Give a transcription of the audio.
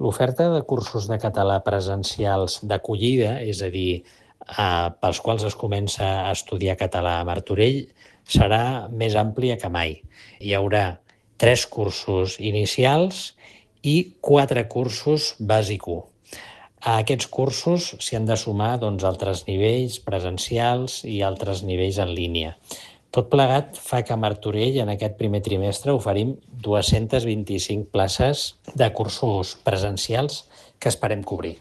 L'oferta de cursos de català presencials d'acollida, és a dir, pels quals es comença a estudiar català a Martorell, serà més àmplia que mai. Hi haurà 3 cursos inicials i 4 cursos bàsic 1. A aquests cursos s'hi han de sumar altres nivells presencials i altres nivells en línia. Tot plegat fa que a Martorell en aquest primer trimestre oferim 225 places de cursos presencials que esperem cobrir.